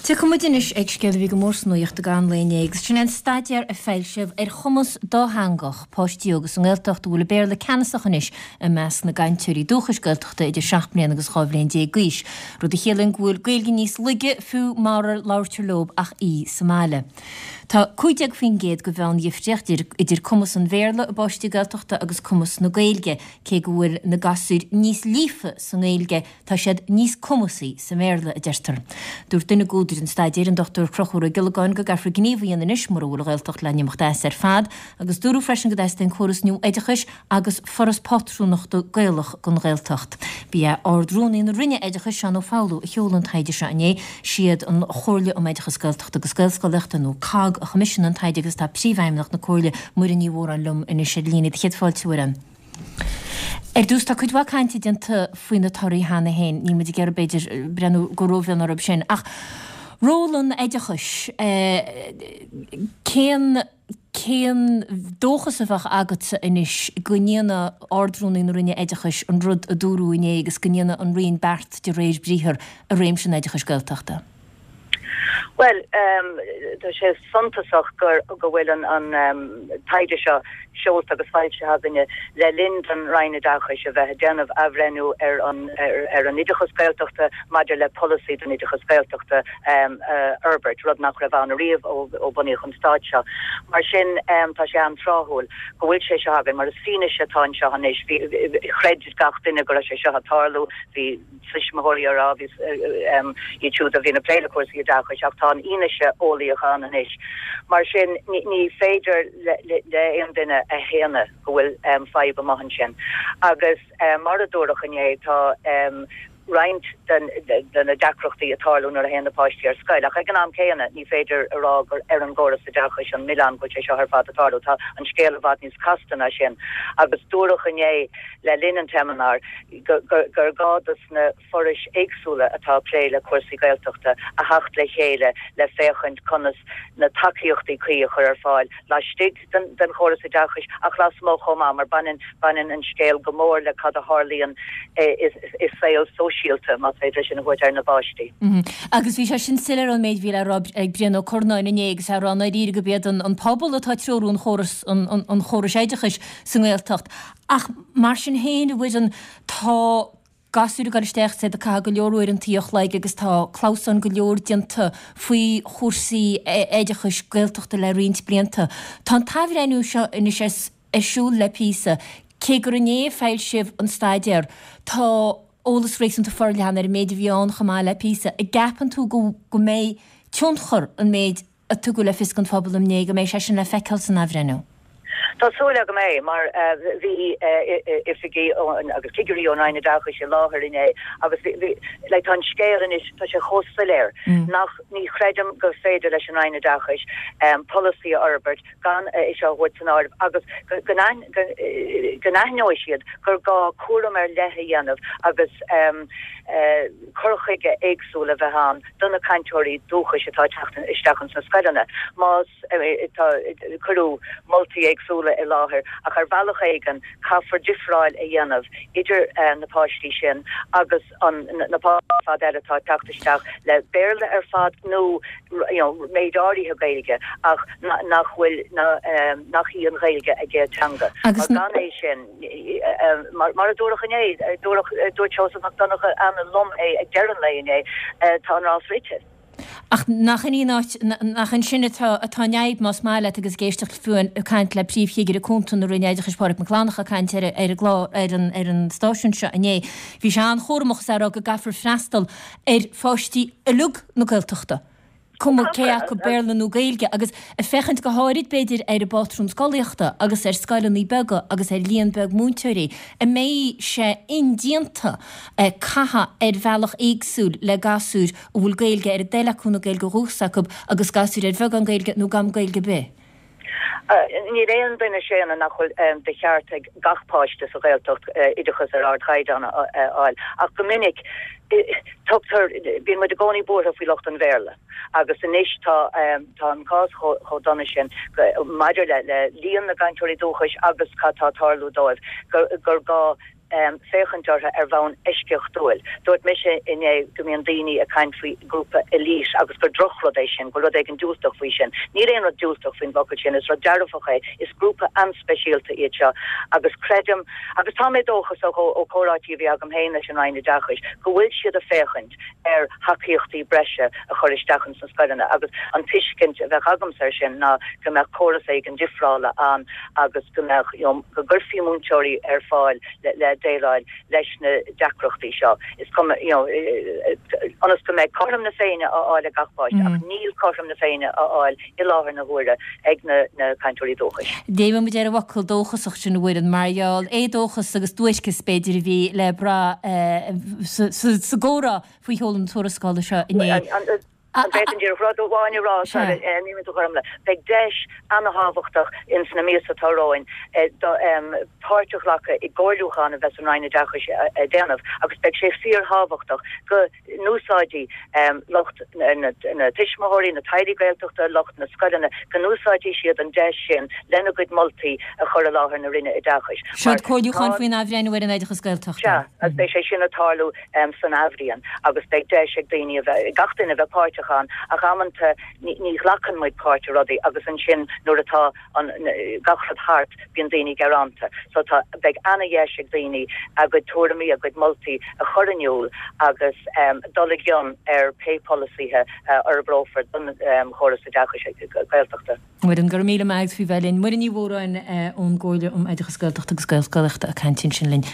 Tiocfaidh muid anois ag scéal a bhí go mór sa nuaíocht i gcaitheamh an lae inné agus sin é an staidéar a foilsíodh ar chumas dátheangach páistí óga sa nGaeltacht a bhfuil an Béarla ceannasach anois i measc na gcainteoirí dúchais Gaeltachta idir 7 mbliana agus 12 bhliain d'aois, rud a chiallaíonn go bhfuil Gaeilge níos laige fiú mara labhartar leo ach í sa mbaile. Tá 15% de mheán-dhifríocht idir cumas an Bhéarla i bpáistí Gaeltachta agus cumas na Gaeilge, cé go bhfuil na gasúir níos líofa sa nGaeilge Tá siad níos cumasaí sa mBéarla, a deirtear. Dúirt duine d'údair an staidéir, an Dr Conchúr Ó Giollagáin, go gcaithfear gníomh a dhéanamh anois mura bhfuil an Ghaeltacht le n-imeacht as ar fad, agus dúradh freisin go dteastaíonn córas nua oideachais agus foras pátrúnachta Gaelach don Ghaeltacht. Ba é Ard-Rúnaí na Roinne Oideachais, Seán Ó Foghlú, a sheol an taighde seo inné. Siad an Chomhairle um Oideachas Gaeltachta agus Gaelscolaíochta, nó COGG, a choimisiúnaigh an taighde agus tá Príomhfheidhmeannach na Comhairle, Muireann Ní Mhóráin, liom anois ar líne. Céad fáilte, a Mhuireann. Ar dtús, tá cuid mhaith cainte déanta faoi na torthaí cheana féin, níl muid ag iarraidh, b'fhéidir, breathnú go rómhion orthu sin, ach ról an oideachais, cén, cén dóchas a bheadh agatsa anois go ndéanfaidh Ard-Rúnaí na Roinne Oideachais an rud a dúradh inné agus go ndéanfaidh an Roinn beart de réir briathar i réimse an oideachais Gaeltachta? Bhuel, tá sé suntasach gur go bhfuil an taighde seo seolta agus foilsithe againne le linn don Roinn Oideachais a bheith ag déanamh athbhreithniú ar an ar an oideachas Gaeltachta maidir le polasaí don oideachas Gaeltachta a fhorbairt, rud nach raibh ann ariamh ó bunaíodh an stát seo. Mar sin, tá sé an-tráthúil go bhfuil sé seo againn mar is fianaise atá anseo anois. Bhí, chreid gach duine go raibh sé seo ag tarlú, bhí. tuismitheoirí á rá, bhí iad siúd a bhíonn ag plé le cúrsaí oideachais, ach tá an fhianaise eolaíoch ann anois. Mar sin, ní féidir le aon duine a shéanadh go bhfuil fadhb amuigh ansin. Agus mar a dúradh inné, tá roinnt de na deacrachtaí ag tarlú nuair a théann na páistí ar scoil. Ach ag an am céanna, ní féidir a rá gur ar an gcóras oideachais an milleán go bhfuil sé seo ar fad ag tarlú. Tá an scéal i bhfad níos casta ná sin. Agus dúradh inné le linn an tseimineáir, gur gá dos na forais éagsúla atá ag plé le cúrsaí Gaeltachta a theacht le chéile le féachaint conas na tacaíochtaí cuí a chur ar fáil laistigh den chóras oideachais ach lasmuigh chomh maith mar baineann baineann an scéal go mór le cad a tharlaíonn i saol sóisialta, más féidir é sin a thabhairt air, na bpáistí. Agus bhí sé sin soiléir ón méid a bhí le rá ag Brian Ó Curnáin inné agus é ag rá i ndáiríre gurb iad an pobal atá ag treorú an chóras an chórais oideachais sa nGaeltacht. Ach mar sin féin, a Mhuireann, tá gasúir ag dul isteach is iad ag caitheamh go leor uaireantaí an chloig agus tá clamhsán go leor déanta faoi chúrsaí oideachais Gaeltachta le roinnt blianta. Tá an t-athbhreithniú seo anois ar siúl le píosa. Cé gur inné a foilsíodh an staidéar, tá eolas réasúnta forleathan ar an méid a bhí ann chomh maith le píosa. An gceapann tú go mbeidh tionchar an méid a tugadh le fios don phobal inné, go mbeidh sé sin le feiceáil san athbhreithniú. Tá súil agam é, mar bhí oifigigh agus cigirí ón Roinn Oideachais i láthair inné agus bhí, like, tá an scéal anois, tá sé chomh soiléir nach, ní chreidim gur féidir leis an Roinn Oideachais polasaí a fhorbairt gan é seo a thabhairt san áireamh agus go n-aithneoidh siad gur gá cúram ar leith a dhéanamh agus cur chuige éagsúil a bheith ann do na cainteoirí dúchais atá ag teacht isteach ins na scoileanna. Más tá, cuireadh moltaí éagsúla i láthair ach ar bhealach éigin caithfear difreáil a dhéanamh idir na páistí sin agus an na páistí ar fad eile atá ag teacht isteach le Béarla ar fad nó you know méid áirithe Gaeilge ach nach bhfuil nach í an Ghaeilge a gcéad teanga. Mar gan é sin, Mar a dúradh inné, dúirt Seosamh Mac Donncha an-lom é ag deireadh an lae inné, tá an rás rite. Ach nach in í an áit, nach ansin atá an fhadhb, más maith leat, agus ag éisteacht fiú ag caint le Príomh-Chigire Cúnta na Roinne Oideachais, Pádraig Mac Fhlannchadha, ag caint ar an gclár, ar an stáisiún seo inné, bhí sé an-chúramach is é ag rá go gcaithfear freastal ar pháistí uilig na Gaeltachta. cuma cé acu Béarla nó Gaeilge, agus ag féachaint go háirid, b'fhéidir, ar an bpátrún scolaíochta agus ar scoileanna beaga agus ar líon beag múinteoirí, an mbeidh sé indéanta caitheamh ar bhealach éagsúil le gasúir a bhfuil Gaeilge ar a dtoil acu nó Gaeilge ó dhúchas acu agus gasúir ar bheagán Gaeilge nó gan Gaeilge ar bith? Níl aon duine ag séanadh nach bhfuil de cheart ag gach páiste sa Ghaeltacht oideachas ar ardchaighdeán a fháil, ach go minic tugtar, bíonn muid i gcónaí buartha faoi lucht an Bhéarla agus anois tá tá an cás chomh dona sin maidir le líon na gcainteoirí dúchais agus cad tá ag tarlú dóibh gur gá. féachaint orthu ar bhonn eisceachtúil. Dúirt mise inné go mbíonn daoine ag caint faoi grúpa elite agus gur drochrud é sin, go bhfuil rud éigin diúltach faoi sin. Níl aon rud diúltach faoin bhfocal sin, is rud dearfach é. Is grúpa an-speisialta iad seo agus creidim, agus tá mé dóchasach ó chomhráití a bhí agam féin leis an Roinn Oideachais, go bhfuil siad ag féachaint ar thacaíochtaí breise a chur isteach ins na scoileanna agus an tuiscint a bheadh agamsa air sin ná go mbeadh córas éigin difreála ann agus go mbeadh, you know, go gcuirfí múinteoirí ar fáil le déileáil leis na deacrachtaí seo. Is cuma, you know, ionas go mbeidh cothrom na Féinne á fháil ag gach páiste ach níl cothrom na Féinne á fháil i láthair na huaire ag na cainteoirí dúchais. Léimfidh muid ar an bhfocal dóchasach sin, a Mhuireann, mar gheall, éadóchas agus duairceas, b'fhéidir, a bhí le brath sa gcomhrá faoi sheoladh na tuarascála seo inné. An bhféadfainn díreach rud amháin a rá, sorry, níl mé do ghormla. Beidh deis ana-thábhachtach ins na míosa atá romhainn páirt a ghlacadh i gcomhairliúchán a bheas an Roinn Oideachais ag déanamh agus beidh sé fíorthábhachtach go n-úsáidfidh lucht na tuismitheoirí, na teaghlaigh Gaeltachta, lucht na scoileanna, go n-úsáidfidh siad an deis sin lena gcuid moltaí a chur i láthair na Roinne Oideachais. Seo comhairliúchán faoin athbhreithniú ar an oideachas Gaeltachta. Sea, agus beidh sé sin ag tarlú san athbhliain agus beidh deis ag daoine a bheith, ag gach duine a bheith páirteach ann ach amanta ní ghlacann muid páirt i rudaí agus ansin nuair atá an, gach rud thart, bíonn daoine gearánta. So tá, beidh ana-dheis ag daoine a gcuid tuairimí, a gcuid moltaí a chur in iúl agus dul i gcion ar pé polasaithe a fhorbrófar don chóras oideachais Gaeltachta. Muireann, go raibh míle maith agat faoi bheith linn. Muireann Ní Mhóráin ón gComhairle um Oideachas Gaeltachta agus Gaelscolaíochta ag caint ansin linn.